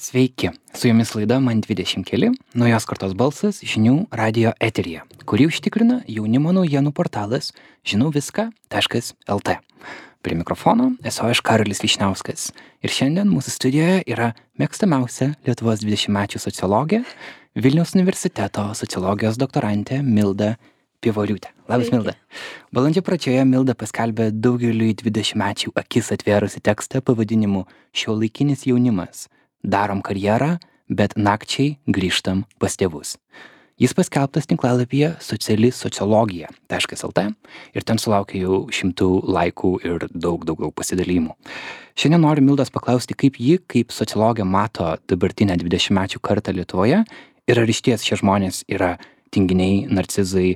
Sveiki, su jumis laida Man 20 keli, naujos kartos balsas žinių radio eteryje, kurį užtikrina jaunimo naujienų portalas žinauviską.lt. Prie mikrofono esu aš Karolis Vyšniauskas ir šiandien mūsų studijoje yra mėgstamiausia Lietuvos 20-mečių sociologė, Vilniaus universiteto sociologijos doktorantė Milda Pievoriūtė. Labas, Milda. Balandžio pradžioje Milda paskelbė daugeliui 20-mečių akis atvėrusi tekstą pavadinimu Šiuolaikinis jaunimas. Darom karjerą, bet nakčiai grįžtam pas tėvus. Jis paskelbtas tinklalapyje socialisociologija.lt ir ten sulaukė jau 100 laikų ir daug pasidalymų. Šiandien noriu Mildos paklausti, kaip ji, kaip sociologė, mato dabartinę 20-mečių kartą Lietuvoje ir ar išties šie žmonės yra tinginiai, narcizai,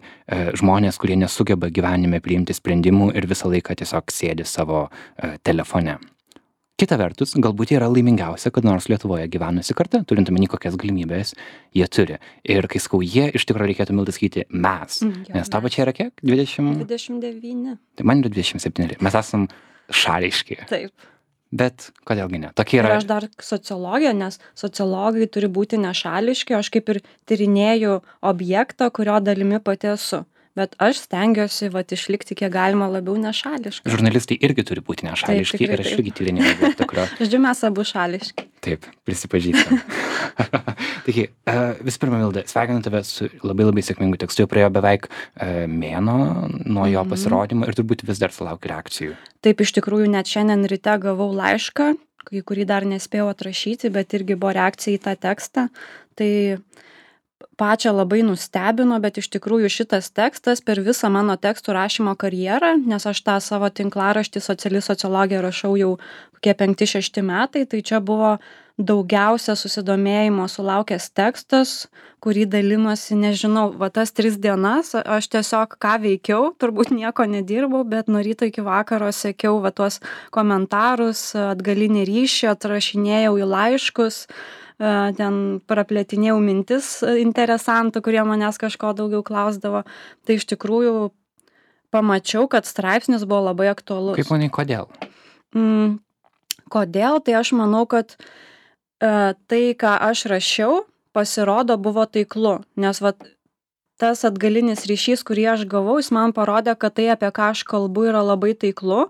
žmonės, kurie nesugeba gyvenime priimti sprendimų ir visą laiką tiesiog sėdi savo telefone. Kita vertus, galbūt jie yra laimingiausia, kad nors Lietuvoje gyvenusi karta, turint omeny, kokias galimybės jie turi. Ir kai sakau jie, iš tikrųjų reikėtų Milda sakyti mes. Nes tavo čia yra kiek? 29. Tai man yra 27. Mes esam šališki. Taip. Bet kodėlgi ne? Tokie yra. Ir aš dar sociologija, nes sociologai turi būti nešališki, aš kaip ir tyrinėju objektą, kurio dalimi pati esu. Bet aš stengiuosi išlikti kiek galima labiau nešališkai. Žurnalistai irgi turi būti nešališki. Taip, ir aš irgi tyrinėjau objektą, kurio. Žodžiu, mes abu šališki. Taip, prisipažįstam. Taigi, visų pirma, Milda, sveikinu tave su labai sėkmingu tekstu. Jau praėjo beveik mėnuo nuo jo pasirodymo ir turbūt vis dar sulauki reakcijų. Taip, iš tikrųjų, net šiandien ryte gavau laišką, kurį dar nespėjau atrašyti, bet irgi buvo reakcija į tą tekstą. Tai pačią labai nustebino, bet iš tikrųjų šitas tekstas per visą mano tekstų rašymo karjerą, nes aš tą savo tinklaraštį sociologija rašau jau kokie 5-6 metai, tai čia buvo daugiausia susidomėjimo sulaukęs tekstas, kurį dalinosi, nežinau, tas 3 dienas, aš tiesiog ką veikiau, turbūt nieko nedirbau, bet nuo ryto iki vakaro sekiau tuos komentarus, atgalinį ryšį, atrašinėjau į laiškus, ten praplėtinėjau mintis interesantų, kurie manęs kažko daugiau klausdavo. Tai iš tikrųjų pamačiau, kad straipsnis buvo labai aktualus. Kaip manai, kodėl? Kodėl? Tai aš manau, kad tai, ką aš rašiau, pasirodo buvo taiklu. Nes tas atgalinis ryšys, kurį aš gavau, jis man parodė, kad tai, apie ką aš kalbu, yra labai taiklu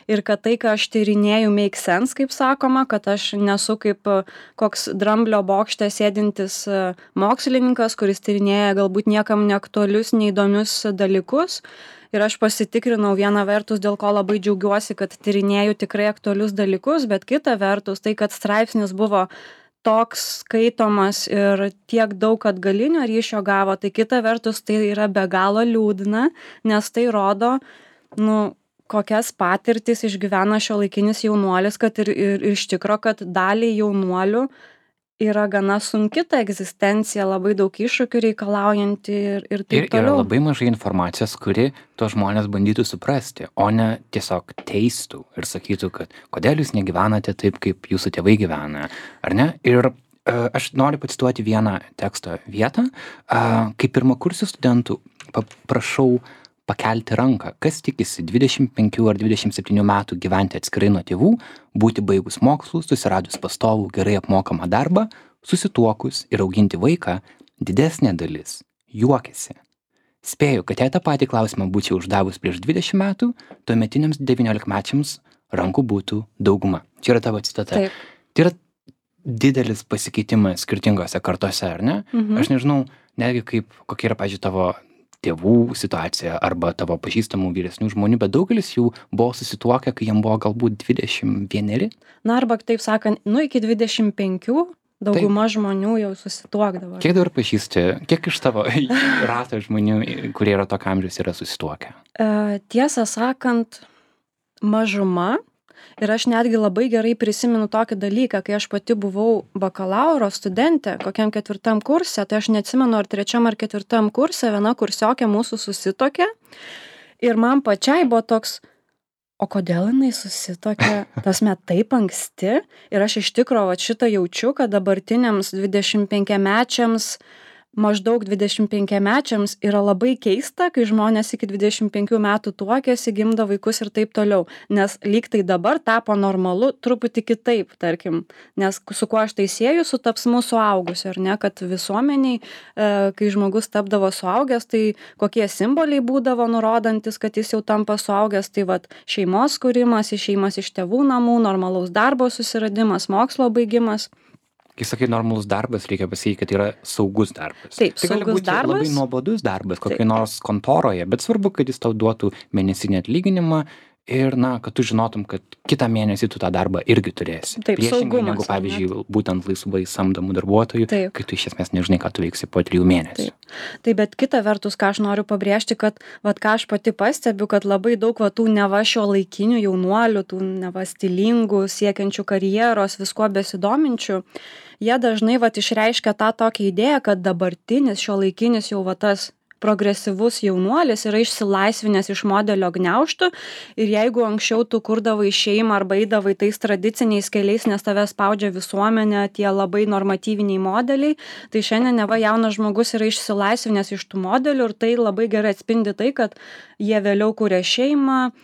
ir kad tai, ką aš tyrinėju, make sense, kaip sakoma, kad aš nesu kaip koks dramblio bokšte sėdintis mokslininkas, kuris tyrinėja galbūt niekam neaktualius, neįdomius dalykus. Ir aš pasitikrinau vieną vertus, dėl ko labai džiaugiuosi, kad tyrinėju tikrai aktualius dalykus, bet kita vertus, tai, kad straipsnis buvo toks skaitomas ir tiek daug atgalinio ryšio gavo, tai kita vertus tai yra be galo liūdna, nes tai rodo, kokias patirtis išgyvena šiuolaikinis jaunuolis, kad ir iš tikro, kad daliai jaunuolių yra gana sunki ta egzistencija, labai daug iššūkių reikalaujanti ir taip toliau. Ir yra labai mažai informacijos, kuri to žmonės bandytų suprasti, o ne tiesiog teistų ir sakytų, kad kodėl jūs negyvenate taip, kaip jūsų tėvai gyvena, ar ne? Ir aš noriu pacituoti vieną teksto vietą. Kaip pirmakursių studentų prašau pakelti ranką, kas tikisi 25 ar 27 metų gyventi atskirai nuo tėvų, būti baigus mokslus, susiradus pastovų, gerai apmokamą darbą, susituokus ir auginti vaiką, didesnė dalis juokiasi. Spėju, kad jei tą patį klausimą būčiau uždavus prieš 20 metų, tuometiniams 19-mečiams rankų būtų dauguma. Čia yra tavo citata. Taip. Tai yra didelis pasikeitimas skirtingose kartose, ar ne? Aš nežinau, netgi kokia yra, pavyzdžiui, tavo tėvų situacija arba tavo pažįstamų vyresnių žmonių, bet daugelis jų buvo susituokę, kai jiem buvo galbūt 21. Na, arba taip sakant, iki 25 dauguma žmonių jau susituokdavo. Kiek dabar pažįsti, kiek iš tavo rato žmonių, kurie yra tokio amžiaus, yra susituokę? Tiesą sakant, mažuma. Ir aš netgi labai gerai prisimenu tokį dalyką, kai aš pati buvau bakalauro studentė, kokiam 4 kurse, tai aš neatsimenu, ar 3 ar 4 kurse viena kursiokė mūsų susituokė. Ir man pačiai buvo toks, o kodėl jinai susituokė, taip anksti? Ir aš iš tikro šitą jaučiu, kad dabartiniams 25-mečiams maždaug 25-mečiams yra labai keista, kai žmonės iki 25 metų tuokėsi, gimdo vaikus ir taip toliau. Nes lyg tai dabar tapo normalu truputį kitaip, tarkim. Nes su kuo aš tai sieju, su tapsmu suaugusiu, ar ne, kad visuomeniai, kai žmogus tapdavo suaugęs, tai kokie simboliai būdavo nurodantis, kad jis jau tampa suaugęs, tai vat šeimos kūrimas, išėjimas iš tėvų namų, normalaus darbo susiradimas, mokslo baigimas. Kai sakai normalus darbas, reikia pasakyti, kad yra saugus darbas. Taip, tai gali saugus būti darbas. labai nuobodus darbas, kokiai nors kontoroje, bet svarbu, kad jis tau duotų mėnesinį atlyginimą ir, kad tu žinotum, kad kitą mėnesį tu tą darbą irgi turėsi. Taip, Priešingai saugumas, negu, pavyzdžiui, būtent laisvai samdomų darbuotojų, Taip. kai tu iš esmės nežinai, ką tu veiksi po 3 mėnesių. Tai bet kita vertus, ką aš noriu pabrėžti, kad ką aš pati pastebiu, kad labai daug tų neva šiuolaikinių jaunuolių, tų neva stilingų, siekiančių karjeros, viskuo besidominčių, jie dažnai išreiškia tą tokią idėją, kad dabartinis šiuolaikinis jau tas progresyvus jaunuolis yra išsilaisvinęs iš modelio gniaužtų ir jeigu anksčiau tu kurdavai šeimą arba eidavai tais tradiciniais keliais, nes tave spaudžia visuomenė, tie labai normatyviniai modeliai, tai šiandien neva jaunas žmogus yra išsilaisvinęs iš tų modelių ir tai labai gerai atspindi tai, kad jie vėliau kuria šeimą,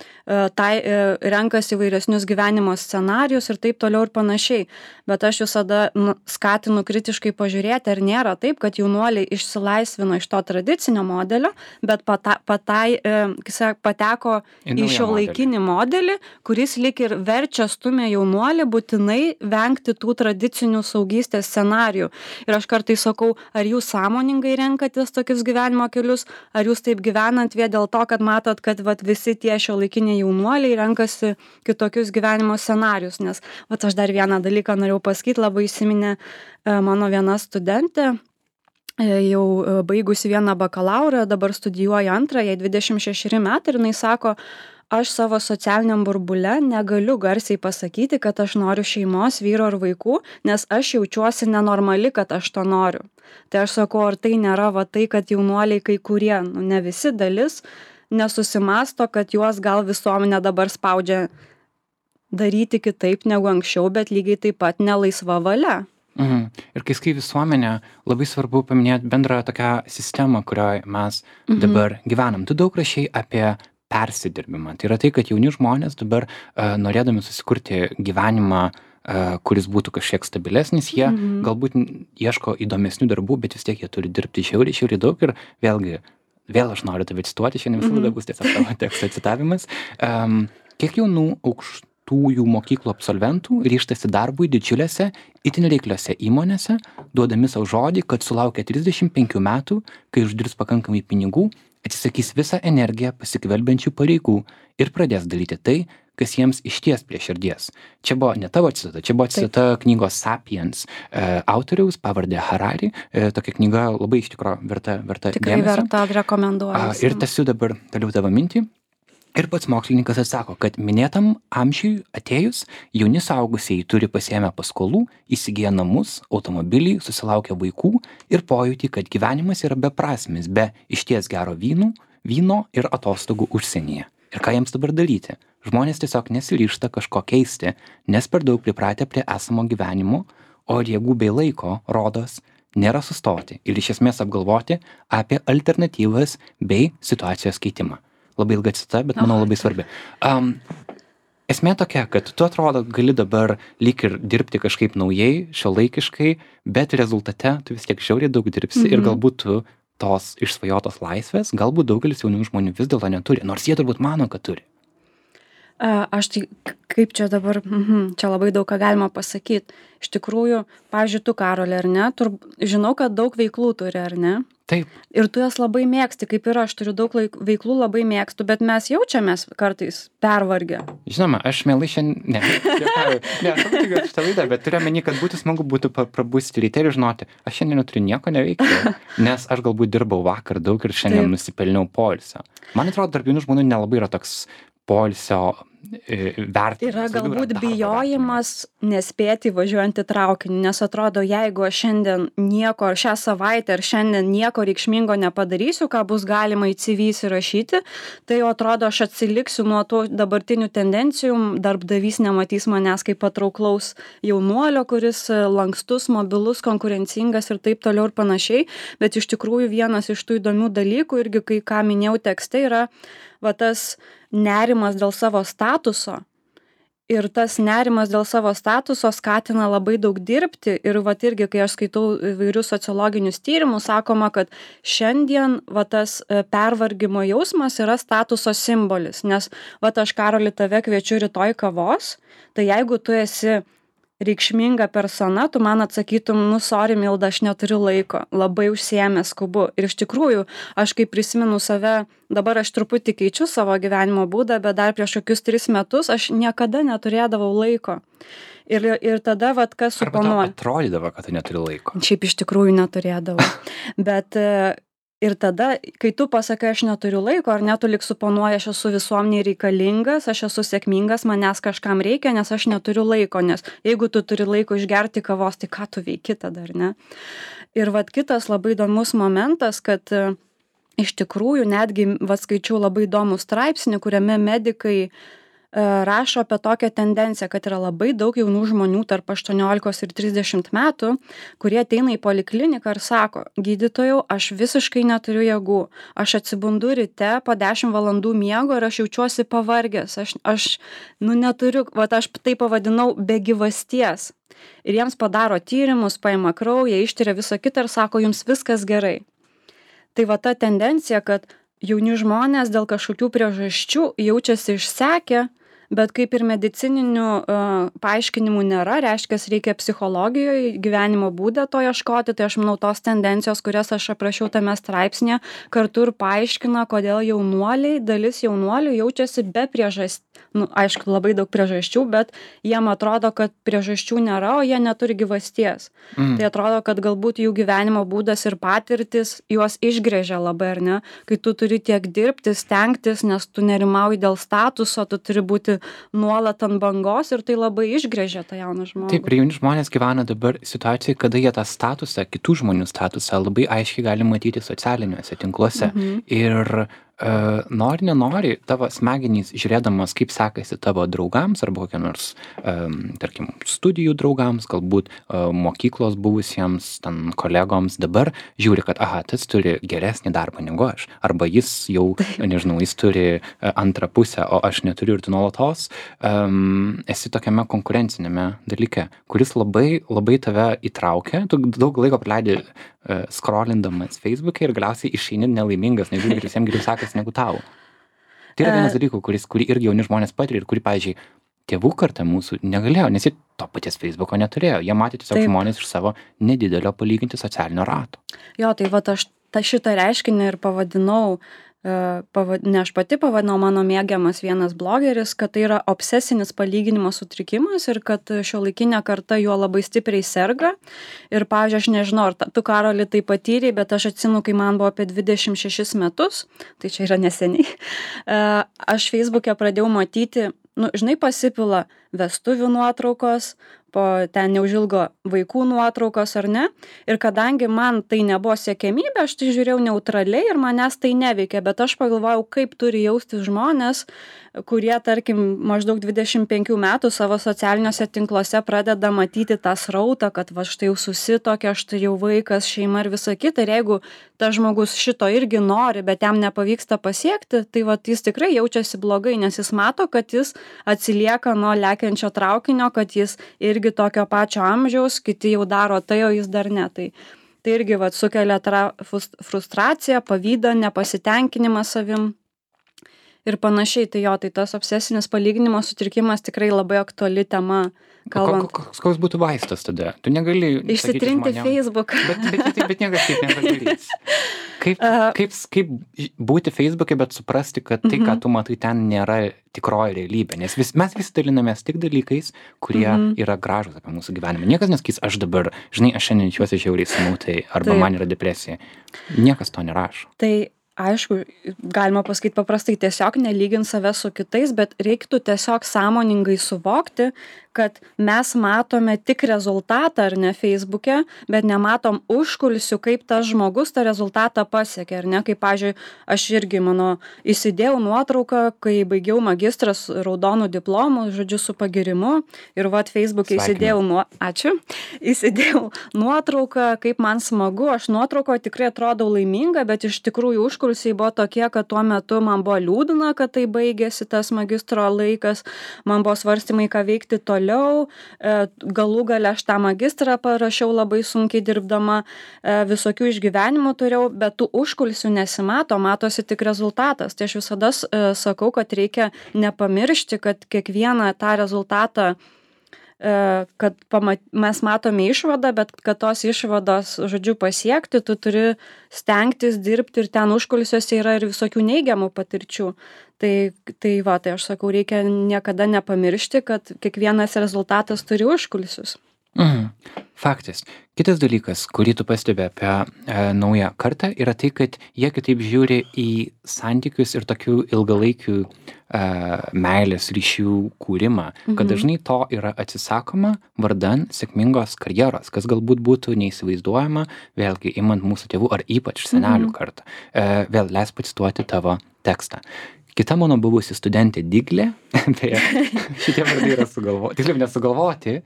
renkasi įvairesnius gyvenimo scenarius ir taip toliau ir panašiai. Bet aš visada skatinu kritiškai pažiūrėti, ar nėra taip, kad jaunuoliai išsilaisvino iš to tradicinio modelio, bet pateko į šiuolaikinį modelį, kuris lyg ir verčia stumia jaunuolį būtinai vengti tų tradicinių saugystės scenarijų. Ir aš kartais sakau, ar jūs sąmoningai renkatės tokius gyvenimo kelius, ar jūs taip gyvenant vien dėl to, kad matot, kad visi tie šiuolaikiniai jaunuoliai renkasi kitokius gyvenimo scenarijus. Nes aš dar vieną dalyką norėjau pasakyti, labai įsiminė mano viena studentė, jau baigusi vieną bakalaurą, dabar studijuoja antrą, jai 26 metai ir jinai sako, aš savo socialiniam burbule negaliu garsiai pasakyti, kad aš noriu šeimos, vyro ir vaikų, nes aš jaučiuosi nenormali, kad aš to noriu. Tai aš sakau, ar tai nėra tai, kad jaunuoliai kai kurie, ne visi dalis, nesusimasto, kad juos gal visuomenė dabar spaudžia daryti kitaip negu anksčiau, bet lygiai taip pat nelaisva valia. Ir kai skai visuomenė, labai svarbu paminėti bendrą tokią sistemą, kurioje mes dabar gyvenam. Tu daug rašai apie persidirbimą. Tai yra tai, kad jauni žmonės dabar norėdami susikurti gyvenimą, kuris būtų kažkiek stabilesnis, jie galbūt ieško įdomesnių darbų, bet vis tiek jie turi dirbti žiauriai daug ir vėl aš noriu tave cituoti, šiandien visada bus tiesiog tavo teksto citavimas. Kiek jaunų aukštųjų mokyklų absolventų ryžtasi darbui didžiulėse, itin reikliose įmonėse, duodami savo žodį, kad sulaukia 35 metų, kai uždirbs pakankamai pinigų, atsisakys visą energiją pasikvelbiančių pareigų ir pradės daryti tai, kas jiems išties prie širdies. Čia buvo ne tavo citata, čia buvo citata knygos Sapiens autoriaus, pavardė Harari. Tokia knyga labai iš tikro verta Tikrai dėmesio. verta, rekomenduoju. Ir tęsiu dabar toliau tavo mintį. Ir pats mokslininkas atsako, kad minėtam amžiui atėjus, jauni suaugusieji turi pasiėmę paskolų, įsigiję namus, automobilį, susilaukę vaikų ir pojūtį, kad gyvenimas yra beprasmis, be išties gero vyno ir atostogų užsienyje. Ir ką jiems dabar daryti? Žmonės tiesiog nesiryžta kažko keisti, nes per daug pripratę prie esamo gyvenimo, o jėgų bei laiko, rodos, nėra sustoti ir iš esmės apgalvoti apie alternatyvas bei situacijos keitimą. Labai ilga cita, bet manau labai svarbi. Esmė tokia, kad tu atrodo gali dabar lyg ir dirbti kažkaip naujai, šiuolaikiškai, bet rezultate tu vis tiek žiauriai daug dirbsi ir galbūt tu tos išsvajotos laisvės, galbūt daugelis jaunų žmonių vis dėlto neturi, nors jie turbūt mano, kad turi. Aš tai, kaip čia dabar, čia labai daug ką galima pasakyti. Iš tikrųjų, pavyzdžiui, tu, Karoli, ar ne, žinau, kad daug veiklų turi, ar ne? Taip. Ir tu jas labai mėgsti, kaip ir aš turiu daug veiklų, labai mėgstu, bet mes jaučiamės kartais pervargę. Žinoma, aš mielai šiandien, ne, šitą laidą, bet turiu omeny, kad būtų smagu prabusti ryte ir žinoti, aš šiandien neturiu nieko neveikti, nes aš galbūt dirbau vakar daug ir šiandien nusipelniau poilsio. Man atrodo, tarp jaunų žmonių nelabai yra toks poilsio vertinimas. Yra daugiau galbūt darbo bijojimas nespėti važiuojant į traukinį, nes atrodo, jeigu aš šiandien nieko, ar šią savaitę, ar šiandien nieko reikšmingo nepadarysiu, ką bus galima į CV įsirašyti, tai jau atrodo, aš atsiliksiu nuo tų dabartinių tendencijų, darbdavys nematys manęs kaip patrauklaus jaunuolio, kuris lankstus, mobilus, konkurencingas ir taip toliau ir panašiai, bet iš tikrųjų vienas iš tų įdomių dalykų, irgi kai ką minėjau tekste, yra va tas nerimas dėl savo statuso. Ir tas nerimas dėl savo statuso skatina labai daug dirbti. Ir vat irgi, kai aš skaitau įvairius sociologinius tyrimus, sakoma, kad šiandien va tas pervargimo jausmas yra statuso simbolis. Nes vat aš, Karoli, tave kviečiu rytoj kavos, tai jeigu tu esi reikšminga persona, tu man atsakytum, sorry, Milda, aš neturiu laiko, labai užsiėmęs skubu. Ir iš tikrųjų, aš kai prisimenu save, dabar aš truputį keičiu savo gyvenimo būdą, bet dar prieš kokius 3 metus aš niekada neturėdavau laiko. Ir tada, vat, kas suponuoja. Arba atrodydavo, kad tu neturi laiko. Šiaip iš tikrųjų neturėdavau. Bet ir tada, kai tu pasakai, aš neturiu laiko, ar ne, tu lik suponuoji, aš esu visuomeniai reikalingas, aš esu sėkmingas, manęs kažkam reikia, nes aš neturiu laiko, nes jeigu tu turi laiko išgerti kavos, tai ką tu veiki tada, ar ne? Ir vat kitas labai įdomus momentas, kad iš tikrųjų netgi, skaičiau labai įdomų straipsnį, kuriame medikai rašo apie tokią tendenciją, kad yra labai daug jaunų žmonių tarp 18 ir 30 metų, kurie ateina į polikliniką ir sako, gydytojau, aš visiškai neturiu jėgų, aš atsibundu ryte po 10 valandų miego ir aš jaučiuosi pavargęs, aš neturiu, aš tai pavadinau be gyvasties. Ir jiems padaro tyrimus, paima kraują, ištiria visą kitą ir sako, jums viskas gerai. Tai ta tendencija, kad jauni žmonės dėl kažkokių priežasčių jaučiasi išsekę, bet kaip ir medicininių paaiškinimų nėra, reiškia, reikia psichologijoje, gyvenimo būdą to ieškoti, tai aš manau tos tendencijos, kurias aš aprašiau tame straipsnėje, kartu ir paaiškina, kodėl dalis jaunuolių jaučiasi be priežasčių. Aišku, labai daug priežasčių, bet jiem atrodo, kad priežasčių nėra, o jie neturi gyvasties. Tai atrodo, kad galbūt jų gyvenimo būdas ir patirtis juos išgrėžia labai, ar ne? Kai tu turi tiek dirbti, stengtis, nes tu nerimauji dėl statuso, tu turi būti nuolat ant bangos ir tai labai išgrėžia tą jauną žmogų. Taip, ir jauni žmonės gyvena dabar situacijoje, kada jie tą statusą, kitų žmonių statusą labai aiškiai gali matyti socialiniuose tinkluose. Ir nori, nenori, tavo smegenys, žiūrėdamas, kaip sekasi tavo draugams arba kokia nors, tarkim, studijų draugams, galbūt mokyklos buvusiems, ten kolegoms, dabar žiūri, kad, tas turi geresnį darbą negu aš. Arba jis jau, nežinau, jis turi antrą pusę, o aš neturiu ir tu nuolatos esi tokiame konkurencinėme dalyke, kuris labai, labai tave įtraukia. Tu daug laiko praleidi scrollindamas Facebook'e ir galiausiai išeini nelaimingas, nežiūrė, ir visiems geriau sekasi negu tau. Tai yra vienas dalykų, kurį irgi jauni žmonės patiria ir kurį, pavyzdžiui, tėvų karta mūsų negalėjo, nes jie to paties Facebook'o neturėjo. Jie matė tiesiog žmonės iš savo nedidelio palyginti socialinio rato. Jo, tai aš šitą reiškinį ir pavadinau, ne aš pati pavadinau, mano mėgiamas vienas blogeris, kad tai yra obsesinis palyginimo sutrikimas ir kad šiuolaikinė karta juo labai stipriai serga. Ir, pavyzdžiui, aš nežinau, ar tu, Karoli, tai patyrei, bet aš atsimenu, kai man buvo apie 26 metus, tai čia yra neseniai, aš Facebook'e pradėjau matyti, žinai, pasipila vestuvių nuotraukos, po ten neužilgo vaikų nuotraukos ar ne. Ir kadangi man tai nebuvo siekiamybė, aš tai žiūrėjau neutraliai ir manęs tai neveikė, bet aš pagalvojau, kaip turi jaustis žmonės, kurie, tarkim, maždaug 25 metų savo socialiniuose tinkluose pradeda matyti tą srautą, kad štai jau susitokia, štai jau vaikas, šeima ir visa kita. Ir jeigu tas žmogus šito irgi nori, bet jam nepavyksta pasiekti, tai jis tikrai jaučiasi blogai, nes jis mato, kad jis atsilieka nuo lekiančio traukinio, kad jis irgi tokio pačio amžiaus, kiti jau daro tai, o jis dar ne. Tai irgi sukelia frustraciją, pavydą, nepasitenkinimą savim. Ir panašiai, tai tas obsesinis palyginimo sutrikimas tikrai labai aktuali tema. Koks būtų vaistas tada? Tu negali išsitrinti Facebooką. Bet niekas taip nepadarys. Kaip būti Facebook'e, bet suprasti, kad tai, ką tu matai, ten nėra tikroji realybė. Nes mes visi dalinamės tik dalykais, kurie yra gražūs apie mūsų gyvenimą. Niekas nesakys, aš šiandien jaučiuosi žiauriai smautai, arba man yra depresija. Niekas to nerašo. Tai Aišku, galima pasakyti paprastai, tiesiog nelygint save su kitais, bet reiktų tiesiog sąmoningai suvokti, kad mes matome tik rezultatą ar ne Facebook'e, bet nematom užkulisių, kaip tas žmogus tą rezultatą pasiekė, ar ne? Kaip, pavyzdžiui, aš irgi įsidėjau nuotrauką, kai baigiau magistras raudonų diplomų, žodžiu, su pagirimu ir Facebook'e įsidėjau nuotrauką, kaip man smagu, aš nuotraukoje tikrai atrodau laiminga, bet iš tikrųjų užkulisiai buvo tokie, kad tuo metu man buvo liūdna, kad tai baigėsi tas magistro laikas, man buvo svarstymai, ką veikti toliau, galų gale aš tą magistrą parašiau labai sunkiai dirbdama, visokių išgyvenimų turėjau, bet tų užkulisių nesimato, matosi tik rezultatas. Tai aš visada sakau, kad reikia nepamiršti, kad kiekvieną tą rezultatą kad mes matome išvadą, bet kad tos išvados, žodžiu, pasiekti, tu turi stengtis dirbti ir ten užkulisiuose yra ir visokių neigiamų patirčių. Tai aš sakau, reikia niekada nepamiršti, kad kiekvienas rezultatas turi užkulisius. Faktas. Kitas dalykas, kurį tu pastebi apie naują kartą, yra tai, kad jie kitaip žiūri į santykius ir tokių ilgalaikių meilės ryšių kūrimą, kad dažnai to yra atsisakoma vardan sėkmingos karjeros, kas galbūt būtų neįsivaizduojama, vėlgi imant mūsų tėvų ar ypač senelių kartą. Vėl leis pacituoti tavo tekstą. Kita mano buvusi studentė Diglė, tai šitie vardai yra sugalvoti, tiksliau nesugalvoti,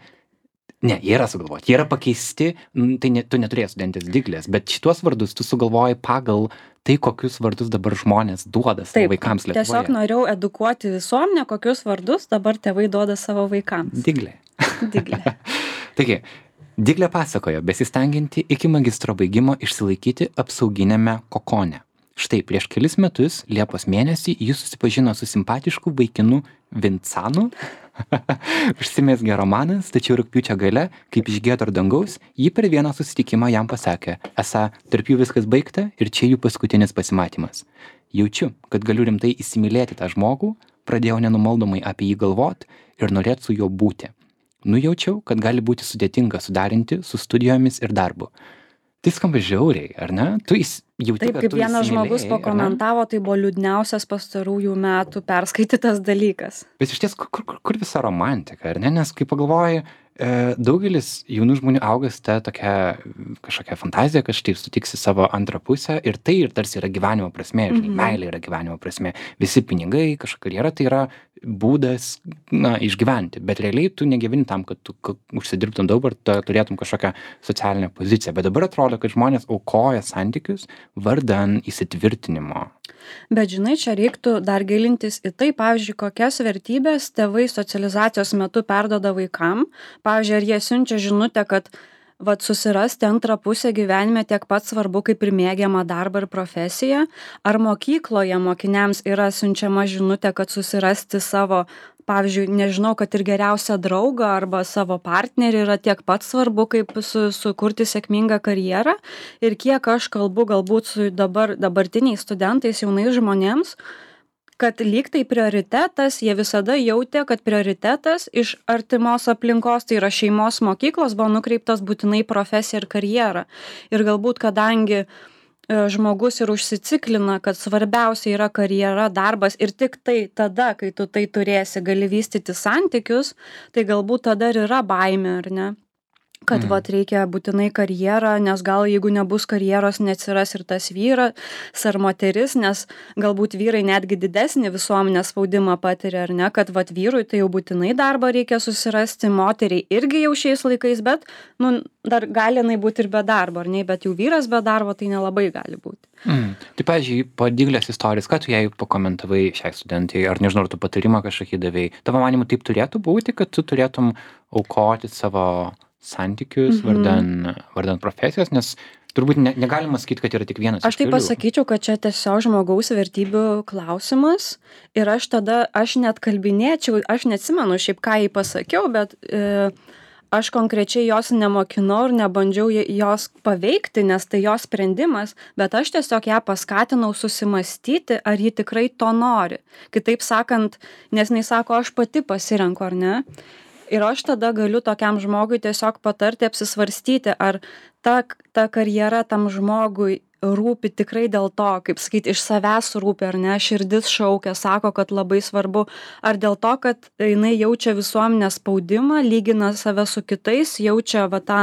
ne, jie yra sugalvoti, jie yra pakeisti, tai tu neturėjai studentės Diglės, bet šitos vardus tu sugalvoji pagal tai, kokius vardus dabar žmonės duoda savo vaikams Lietuvoje. Tiesiog norėjau edukuoti visuomenę, kokius vardus dabar tėvai duoda savo vaikams. Diglė. Diglė. Taigi, Diglė pasakojo, besistengianti iki magistro baigimo išsilaikyti apsauginiame kokone. Štai prieš kelis metus, Liepos mėnesį, jis susipažino su simpatišku vaikinu Vincanu. Užsimezgė romanas, tačiau rugpjūčio gale, kaip iš giedro dangaus, ji per vieną susitikimą jam pasakė, esą tarp jų viskas baigta ir čia jų paskutinis pasimatymas. Jaučiu, kad galiu rimtai įsimylėti tą žmogų, pradėjau nenumaldomai apie jį galvot ir norėt su juo būti. Nujaučiau, kad gali būti sudėtinga sudarinti su studijomis ir darbu. Tai skamba žiauriai, ar ne? Tu jauti, taip, kaip vienas žmogus pakomentavo, tai buvo liūdniausias pastarųjų metų perskaitytas dalykas. Bet iš ties, kur visa romantika, ar ne? Nes kai pagalvoji, daugelis jaunų žmonių auga su ta tokia kažkokia fantazija, kad štai sutiksi savo antrą pusę ir tai ir tarsi yra gyvenimo prasmė, žinai, meilė yra gyvenimo prasmė. Visi pinigai, kažkokia karjera, tai yra būdas, išgyventi, bet realiai tu negyveni tam, kad tu užsidirbtum daug ir turėtum kažkokią socialinę poziciją. Bet dabar atrodo, kad žmonės aukoja santykius vardan įsitvirtinimo. Bet žinai, čia reiktų dar gilintis į tai, pavyzdžiui, kokias vertybės tėvai socializacijos metu perduoda vaikam. Pavyzdžiui, ar jie siunčia žinutę, kad susirasti antrą pusę gyvenime tiek pat svarbu kaip ir mėgiamą darbą ir profesiją, ar mokykloje mokiniams yra siunčiama žinutė, kad susirasti savo, pavyzdžiui, nežinau, kad ir geriausią draugą arba savo partnerį yra tiek pat svarbu, kaip sukurti sėkmingą karjerą. Ir kiek aš kalbu galbūt su dabartiniais studentais, jaunais žmonėms, kad lyg tai prioritetas, jie visada jautė, kad prioritetas iš artimos aplinkos, tai yra šeimos mokyklos, buvo nukreiptas būtinai profesiją ir karjerą. Ir galbūt, kadangi žmogus ir užsiciklina, kad svarbiausia yra karjera, darbas ir tik tai tada, kai tu tai turėsi, gali vystyti santykius, tai galbūt tada ir yra baimė, ar ne? Kad reikia būtinai karjerą, nes gal jeigu nebus karjeros, neatsiras ir tas vyras ar moteris, nes galbūt vyrai netgi didesnį visuomenės spaudimą patiria, ar ne, kad vyrui tai jau būtinai darbą reikia susirasti, moteriai irgi jau šiais laikais, bet dar gali būti ir be darbo, ar ne, bet jau vyras be darbo tai nelabai gali būti. Tai, pavyzdžiui, po Diglės istorijos, ką tu jai pakomentavai šiai studentai, ar nežinau, ar tu patarimą kažkokį davei? Tavo manimu taip turėtų būti, kad tu turėtum aukoti savo santykius vardan profesijos, nes turbūt negalima sakyti, kad yra tik vienas. Aš tai pasakyčiau, kad čia tiesiog žmogaus vertybių klausimas ir aš net kalbinėčiau, aš neatsimenu šiaip ką jai pasakiau, bet aš konkrečiai jos nemokinau ir nebandžiau jos paveikti, nes tai jos sprendimas, bet aš tiesiog ją paskatinau susimastyti, ar ji tikrai to nori. Kitaip sakant, nes jinai sako, aš pati pasirenku, ar ne? Ir aš tada galiu tokiam žmogui tiesiog patarti apsisvarstyti, ar ta karjera tam žmogui rūpi tikrai dėl to, kaip sakyti, iš savęs rūpi, ar ne, širdis šaukia, sako, kad labai svarbu, ar dėl to, kad jinai jaučia visuomenės spaudimą, lygina save su kitais, jaučia va tą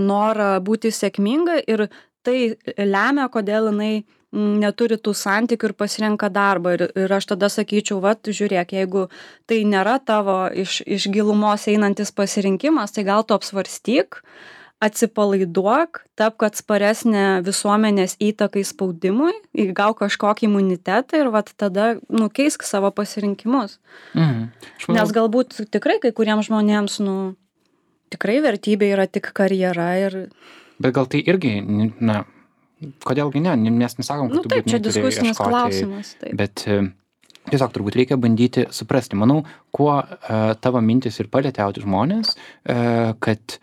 norą būti sėkminga ir tai lemia, kodėl jinai neturi tų santykių ir pasirenka darbą. Ir aš tada sakyčiau, vat, žiūrėk, jeigu tai nėra tavo iš gilumos einantis pasirinkimas, tai gal tu apsvarstyk, atsipalaiduok, tapk atsparesnė visuomenės įtakai spaudimui, įgauk kažkokį imunitetą ir vat tada keisk savo pasirinkimus. Nes galbūt tikrai kai kuriems žmonėms, tikrai vertybė yra tik karjera ir... Bet gal tai irgi, kodėlgi ne, mes nesakom, kad tu taip, čia diskusinis klausimas. Taip. Bet tiesiog turbūt reikia bandyti suprasti. Manau, kuo tavo mintis ir palėtė žmonės, kad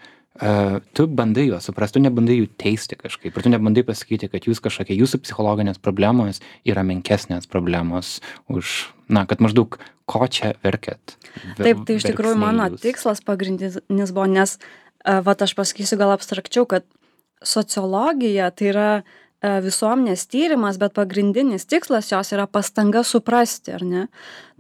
tu bandai juos suprasti, tu nebandai jų teisti kažkaip, ir tu nebandai pasakyti, kad jūsų psichologinės problemos yra menkesnės problemos už, kad maždaug ko čia verkiat. Taip, tai iš tikrųjų mano tikslas pagrindinis buvo, nes aš pasakysiu gal abstrakčiau, kad sociologija tai yra visuomenės tyrimas, bet pagrindinis tikslas jos yra pastanga suprasti, ar ne?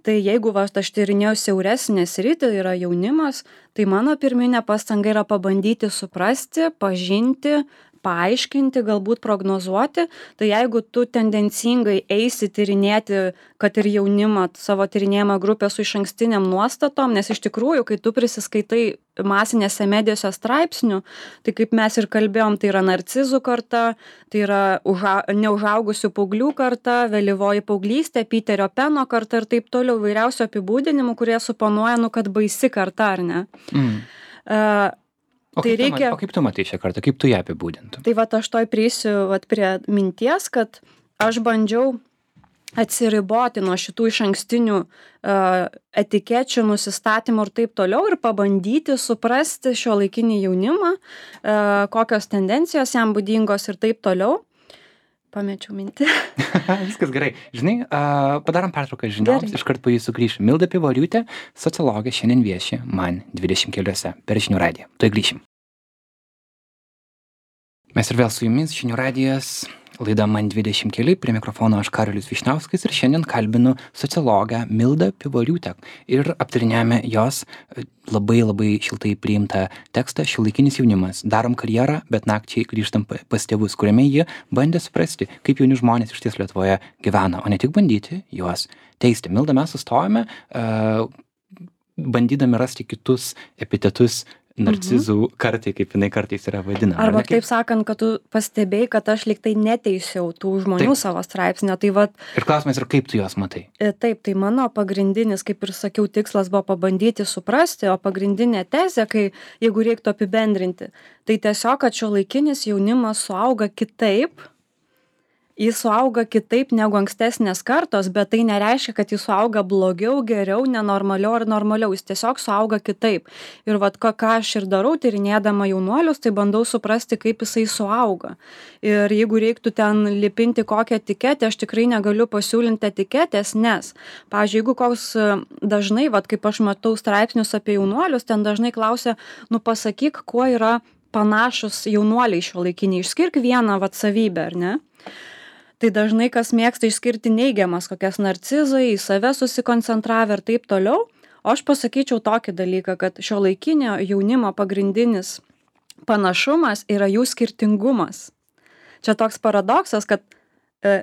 Tai jeigu aš tyrinėjau siauresnę sritį, yra jaunimas, tai mano pirminė pastanga yra pabandyti suprasti, pažinti, paaiškinti, galbūt prognozuoti. Tai jeigu tu tendencingai eisi tyrinėti, kad ir jaunimą, savo tyrinėjimą grupę su išankstiniam nuostatom, nes iš tikrųjų, kai tu prisiskaitai masinėse medijose straipsnių, tai kaip mes ir kalbėjom, tai yra narcizų karta, tai yra neužaugusių paauglių karta, vėlyvoji paauglystė, Piterio Peno karta ir taip toliau, vairiausių apibūdinimų, kurie suponuoja, kad baisi karta, ar ne? O kaip tu matai šią kartą, kaip tu ją apibūdintum? Tai aš toj prieisiu prie minties, kad aš bandžiau atsiriboti nuo šitų išankstinių etikečių, nusistatymų ir taip toliau ir pabandyti suprasti šiuolaikinį jaunimą, kokios tendencijos jam būdingos ir taip toliau. Pamečiau mintį. Viskas gerai. Žinai, padarom pertrauką žinioms, iškart po jų sugrįšim. Milda Pivoriūtė, sociologė, šiandien vieši man 20 keliuose per Žinių radiją. Tuoj grįšim. Mes ir vėl su jumis, Žinių radijas, laida man 20 keli, prie mikrofono aš Karolis Vyšniauskas ir šiandien kalbinu sociologę Mildą Pivoriūtę ir aptarinėjame jos labai šiltai priimtą tekstą Šiuolaikinis jaunimas. Darom karjerą, bet nakčiai grįžtam pas tėvus, kuriame jie bandė suprasti, kaip jauni žmonės iš ties Lietuvoje gyvena, o ne tik bandyti juos teisti. Milda, mes sustojame, bandydami rasti kitus epitetus narcizų kartai, kaip jinai kartais yra vadinama. Arba taip sakant, kad tu pastebėjai, kad aš lyg tai neteisiau tų žmonių savo straipsnio. Tai ir klausimas yra, kaip tu juos matai? Taip, tai mano pagrindinis, kaip ir sakiau, tikslas buvo pabandyti suprasti, o pagrindinė tezė, jeigu reiktų apibendrinti, tai tiesiog, kad šiuolaikinis jaunimas suauga kitaip, jis suauga kitaip negu ankstesnės kartos, bet tai nereiškia, kad jis suauga blogiau, geriau, nenormaliau ar normaliau, jis tiesiog suauga kitaip. Ir ką aš ir darau, tyrinėdama jaunuolius, tai bandau suprasti, kaip jisai suauga. Ir jeigu reiktų ten lipinti kokią etiketę, aš tikrai negaliu pasiūlinti etiketės, nes, pavyzdžiui, jeigu koks dažnai, kaip aš matau straipsnius apie jaunuolius, ten dažnai klausia, pasakyk, kuo yra panašus jaunuoliai šiuolaikiniai, išskirk vieną savybę, ar ne? Tai dažnai kas mėgsta išskirti neigiamas, kokias narcizai, į save susikoncentravę ir taip toliau. O aš pasakyčiau tokį dalyką, kad šiuolaikinio jaunimo pagrindinis panašumas yra jų skirtingumas. Čia toks paradoksas, kad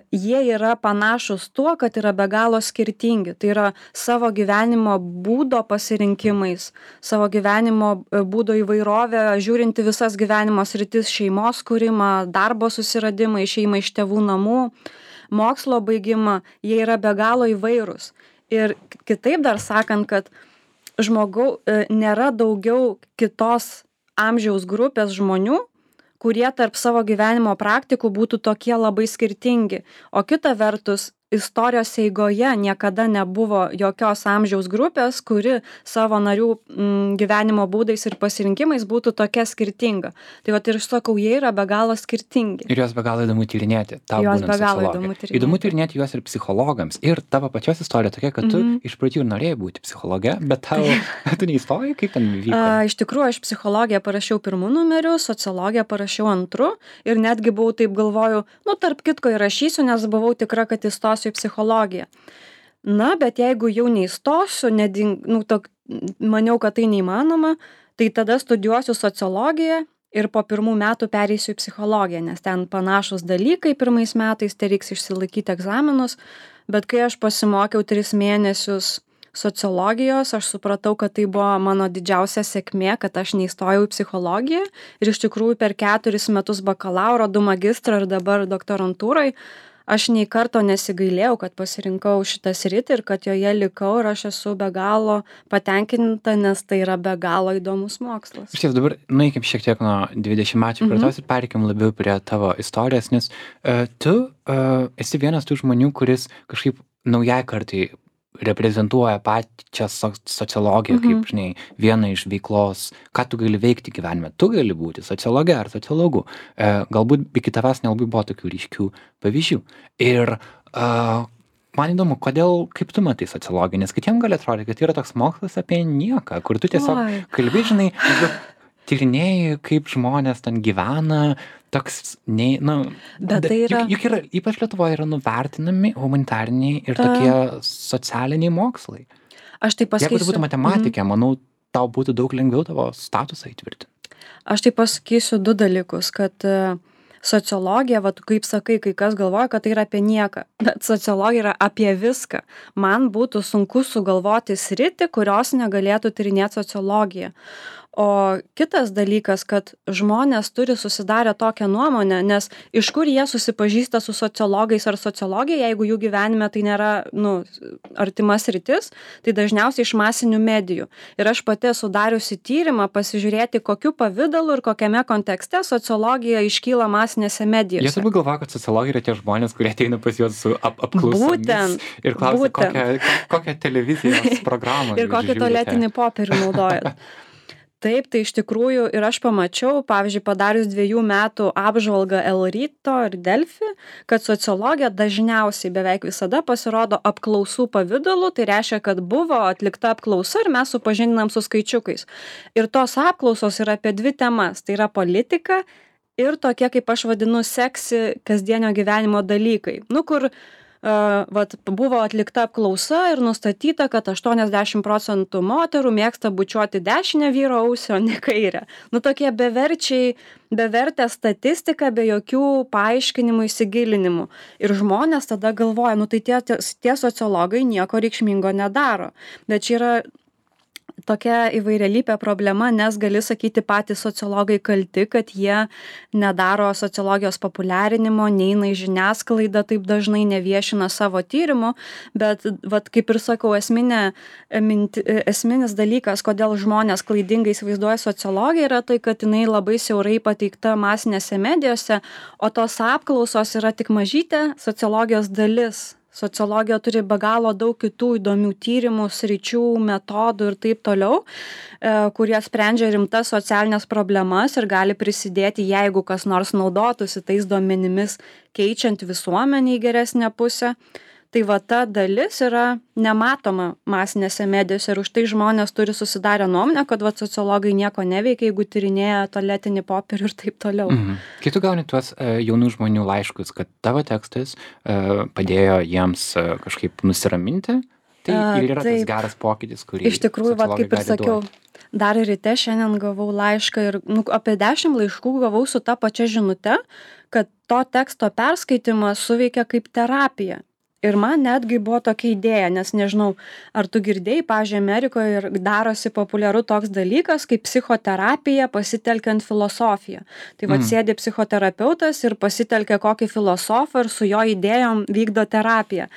jie yra panašus tuo, kad yra be galo skirtingi. Tai yra savo gyvenimo būdo pasirinkimais, savo gyvenimo būdo įvairovę, žiūrinti visas gyvenimo sritis, šeimos kūrimą, darbo susiradimą, išėjimą iš tėvų namų, mokslo baigimą, jie yra be galo įvairūs. Ir kitaip dar sakant, kad nėra daugiau kitos amžiaus grupės žmonių, kurie tarp savo gyvenimo praktikų būtų tokie labai skirtingi. O kita vertus, istorijos eigoje niekada nebuvo jokios amžiaus grupės, kuri savo narių gyvenimo būdais ir pasirinkimais būtų tokia skirtinga. Tai vat ir sakau, jie yra be galo skirtingi. Ir juos be galo įdomu tyrinėti. Tau Juos būnant be galo sociologė. įdomu Tyrinėti juos ir psichologams. Ir tavo pačios istorija tokia, kad tu iš pradžių ir norėjai būti psichologė, bet tu neįstojai, kaip ten vyko? Iš tikrųjų, aš psichologiją parašiau pirmu numeriu, sociologiją parašiau antru ir netgi buvau taip galvoju, tarp kitko įrašysiu, nes buvau tikra, kad įstosiu į psichologiją. Na, bet jeigu jau neįstosiu, maniau, kad tai neįmanoma, tai tada studijuosiu sociologiją ir po 1 metų pereisiu į psichologiją, nes ten panašus dalykai 1 metais, tai reiks išsilaikyti egzaminus, bet kai aš pasimokiau 3 mėnesius sociologijos, aš supratau, kad tai buvo mano didžiausia sėkmė, kad aš neįstojau į psichologiją ir iš tikrųjų per 4 metus bakalauro, 2 magistrą ir dabar doktorantūrai aš nei karto nesigailėjau, kad pasirinkau šitą sritį ir kad joje likau ir aš esu be galo patenkinta, nes tai yra be galo įdomus mokslas. Iš ties dabar nueikim šiek tiek nuo 20-mečių kartos ir pereikim labiau prie tavo istorijos, nes tu esi vienas tų žmonių, kuris kažkaip naujai kartai reprezentuoja pačią sociologiją, kaip, žinai, vieną iš veiklos, ką tu gali veikti gyvenime. Tu gali būti sociologė ar sociologu. Galbūt iki tavęs nelabai buvo tokių ryškių pavyzdžių. Ir man įdomu, kaip tu matai sociologiją, nes kitiem gali atrodyti, kad yra toks mokslas apie nieką, kur tu tiesiog kalbi, žinai, tyrinėjai, kaip žmonės ten gyvena, toks, bet tai yra... Juk yra, ypač Lietuvoje yra nuvertinami humanitariniai ir tokie socialiniai mokslai. Aš tai pasakysiu. Jeigu tu būtų matematikė, manau, tau būtų daug lengviau tavo statusą įtvirtinti. Aš tai pasakysiu 2 dalykus, kad sociologija, kaip sakai, kai kas galvoja, kad tai yra apie nieką, bet sociologija yra apie viską. Man būtų sunku sugalvoti sritį, kurios negalėtų tyrinėti sociologija. O kitas dalykas, kad žmonės turi susidarę tokią nuomonę, nes iš kur jie susipažįsta su sociologais ar sociologija, jeigu jų gyvenime tai nėra, artimas sritis, tai dažniausiai iš masinių medijų. Ir aš pati esu dariusi tyrimą pasižiūrėti, kokiu pavidalu ir kokiame kontekste sociologija iškyla masinėse medijose. Jie turbūt galvoja, kad sociologai yra tie žmonės, kurie ateina pas juos su apklausomis ir klausia, kokią televizijos programą ir kokį tualetinį popierių naudojat. Taip, tai iš tikrųjų ir aš pamačiau, pavyzdžiui, padarius 2 metų apžvalgą El Ryto ir Delfi, kad sociologija dažniausiai beveik visada pasirodo apklausų pavidalu, tai reiškia, kad buvo atlikta apklausa ir mes supažindinam su skaičiukais. Ir tos apklausos yra apie 2 temas, tai yra politika ir tokie, kaip aš vadinu, seksi kasdienio gyvenimo dalykai. Kur buvo atlikta apklausa ir nustatyta, kad 80% moterų mėgsta bučiuoti dešinę vyro ausį, o ne kairę. Tokie bevertė statistika, be jokių paaiškinimų, įsigilinimų. Ir žmonės tada galvoja, tai tie sociologai nieko reikšmingo nedaro. Bet čia yra tokia įvairialypė problema, nes gali sakyti patys sociologai kalti, kad jie nedaro sociologijos populiarinimo, neina į žiniasklaidą, taip dažnai neviešina savo tyrimų, bet kaip ir sakau, esminis dalykas, kodėl žmonės klaidingai įsivaizduoja sociologiją, yra tai, kad jinai labai siaurai pateikta masinėse medijose, o tos apklausos yra tik mažytė sociologijos dalis. Sociologija turi be galo daug kitų įdomių tyrimų, sričių, metodų ir taip toliau, kurie sprendžia rimtas socialinės problemas ir gali prisidėti, jeigu kas nors naudotųsi tais duomenimis, keičiant visuomenę į geresnę pusę. Tai ta dalis yra nematoma masinėse medijose ir už tai žmonės turi susidarę nuomonę, kad sociologai nieko neveikia, jeigu tyrinėja tualetinį popierių ir taip toliau. Kai tu gauni tuos jaunų žmonių laiškus, kad tavo tekstas padėjo jiems kažkaip nusiraminti, tai ir yra tas geras pokytis, kurį iš tikrųjų, kaip ir sakiau, dar ryte šiandien gavau laišką ir apie 10 laiškų gavau su ta pačia žinute, kad to teksto perskaitimas suveikia kaip terapija. Ir man netgi buvo tokia idėja, nes nežinau, ar tu girdėjai, pavyzdžiui, Amerikoje darosi populiaru toks dalykas, kaip psichoterapija pasitelkiant filosofiją. Tai sėdi psichoterapeutas ir pasitelkia kokį filosofą ir su jo idėjom vykdo terapiją.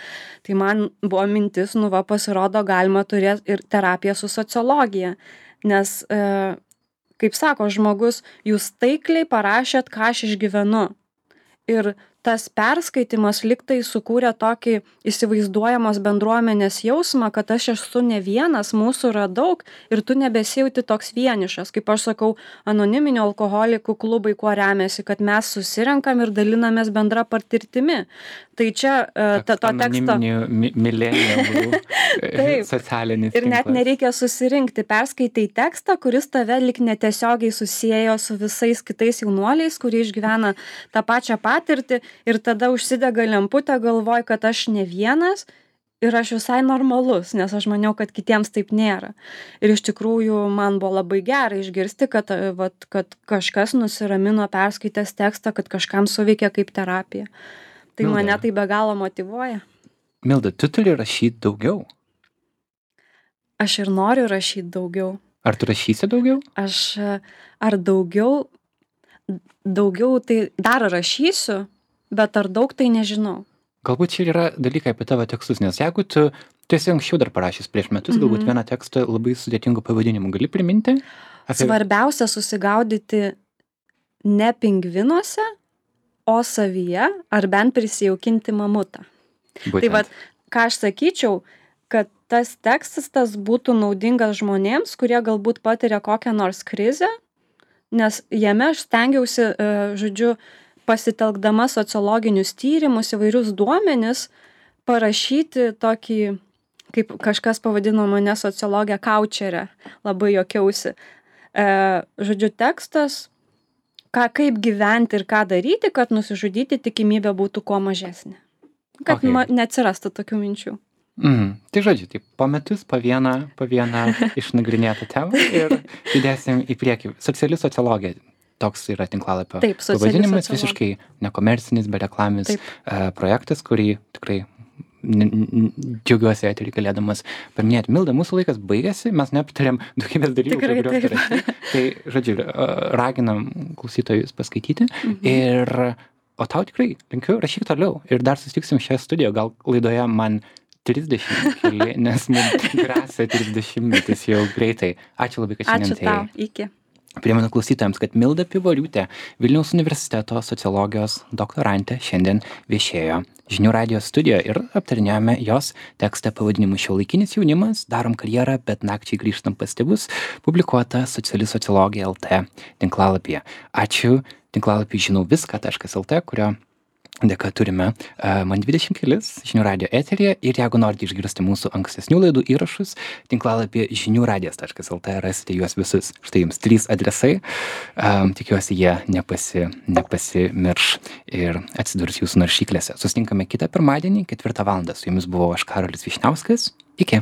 Tai man buvo mintis, pasirodo, galima turėti ir terapiją su sociologija. Nes, kaip sako žmogus, jūs taikliai parašėt, ką aš išgyvenu. Ir tas perskaitimas lyg tai sukūrė tokį įsivaizduojamos bendruomenės jausmą, kad aš esu ne vienas, mūsų yra daug ir tu nebesijauti toks vienišas. Kaip aš sakau, anoniminių alkoholikų klubai kuo remiasi, kad mes susirenkam ir dalinamės bendra patirtimi. Tai čia to teksto... Anoniminių milenialų socialinis ir net nereikia susirinkti. Perskaitai tekstą, kuris tave lik netiesiogiai susiejo su visais kitais jaunuoliais, kurie išgyvena tą pačią patirtį ir tada užsidega lemputė, galvoj, kad aš ne vienas ir aš visai normalus, nes aš maniau, kad kitiems taip nėra. Ir iš tikrųjų man buvo labai gera išgirsti, kad kažkas nusiramino perskaitęs tekstą, kad kažkam suveikia kaip terapija. Tai Milda, mane tai be galo motyvuoja. Milda, tu turi rašyti daugiau. Aš ir noriu rašyti daugiau. Ar tu rašysi daugiau? Ar daugiau tai dar rašysiu, bet ar daug tai nežinau. Galbūt čia yra dalykai apie tavo tekstus, nes jeigu tu esi anksčiau dar parašęs prieš metus, galbūt vieną tekstą labai sudėtingų pavadinimų, gali priminti? Svarbiausia susigaudyti ne pingvinuose, o savyje, ar bent prisijaukinti mamutą. Būtent. Tai vat, ką aš sakyčiau, kad tas tekstas būtų naudingas žmonėms, kurie galbūt patiria kokią nors krizę, nes jame aš stengiausi, pasitelkdama sociologinius tyrimus, įvairius duomenis, parašyti tokį, kaip kažkas pavadino mane sociologę kaučerę, labai juokiausi. Tekstas, kaip gyventi ir ką daryti, kad nusižudyti tikimybė būtų kuo mažesnė. Kad neatsirastų tokių minčių. Tai žodžiu, po metus po vieną išnagrinėtą temą ir judėsim į priekį. Sociali sociologija. Toks yra tinklalapio pavadinimas, visiškai nekomercinis, bereklamis projektas, kurį tikrai džiaugiuosi eterį galėdamas paminėti. Milda, mūsų laikas baigėsi, mes neaptarėm daugybės dalykų, kuriuos rašyti. Tai, žodžiu, raginam klausytojus paskaityti. O tau tikrai linkiu, rašyk toliau. Ir dar susitiksim šią studiją, gal laidoje man 30 keli, nes mums grėsia 30 metus jau greitai. Ačiū labai, kad šiandien atėjai. Ačiū tau, iki. Primenu klausytojams, kad Milda Pivoriūtė, Vilniaus universiteto sociologijos doktorantė, šiandien viešėjo Žinių radijo studijoje ir aptarinėjome jos tekstą pavadinimu Šiuolaikinis jaunimas, darom karjerą, bet nakčiai grįžtam pas tėvus, publikuota Sociali sociologija LT tinklalapyje. Ačiū tinklalapį žinau viską.lt, kurio dėka turime man 20 kelis Žinių radijo eteryje ir jeigu norite išgirsti mūsų ankstesnių laidų įrašus, tinklalapyje žiniųradijas.lt rasite juos visus. Štai jums 3 adresai, tikiuosi jie nepasimirš ir atsidurs jūsų naršyklėse. Susitinkame kitą pirmadienį, 4 valandą. Su jumis buvau aš, Karolis Vyšniauskas. Iki.